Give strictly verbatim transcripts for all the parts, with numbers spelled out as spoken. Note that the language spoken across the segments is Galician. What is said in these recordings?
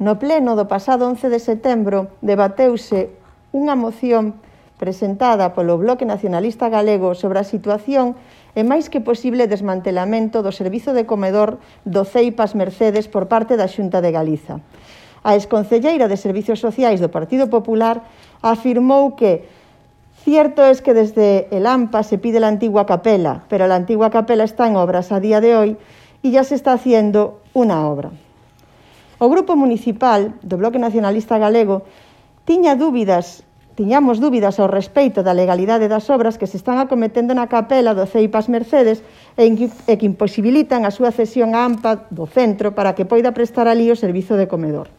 No pleno do pasado once de setembro debateuse unha moción presentada polo Bloque Nacionalista Galego sobre a situación e máis que posible desmantelamento do servizo de comedor do Ceipas Mercedes por parte da Xunta de Galiza. A exconcelleira de Servicios Sociais do Partido Popular afirmou que cierto es que desde el A M P A se pide la antigua capela, pero la antigua capela está en obras a día de hoy y ya se está haciendo una obra. O Grupo Municipal do Bloque Nacionalista Galego tiña dúbidas Tiñamos dúbidas ao respeito da legalidade das obras que se están acometendo na capela do Ceipas Mercedes e que imposibilitan a súa cesión á A M P A do centro para que poida prestar alí o servizo de comedor.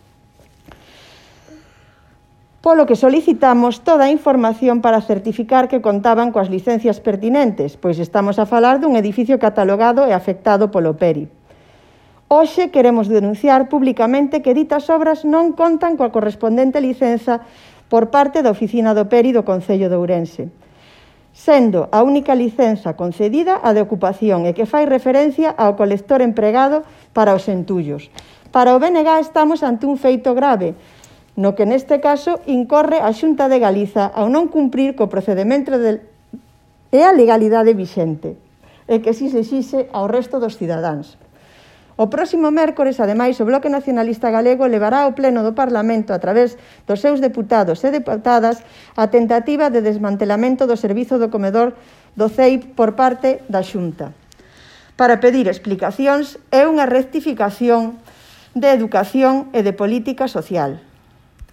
Polo que solicitamos toda a información para certificar que contaban coas licencias pertinentes, pois estamos a falar dun edificio catalogado e afectado polo P E R I. Hoxe queremos denunciar públicamente que ditas obras non contan coa correspondente licenza por parte da Oficina do P E R I do Concello de Ourense, sendo a única licenza concedida a de ocupación e que fai referencia ao colector empregado para os entullos. Para o B N G estamos ante un feito grave, no que neste caso incorre a Xunta de Galiza ao non cumprir co procedemento de... e a legalidade vixente, e que si se exixe ao resto dos cidadáns. O próximo mércores, ademais, o Bloque Nacionalista Galego levará ao Pleno do Parlamento, a través dos seus deputados e deputadas, a tentativa de desmantelamento do servizo do comedor do C E I P por parte da Xunta, para pedir explicacións e unha rectificación de educación e de política social.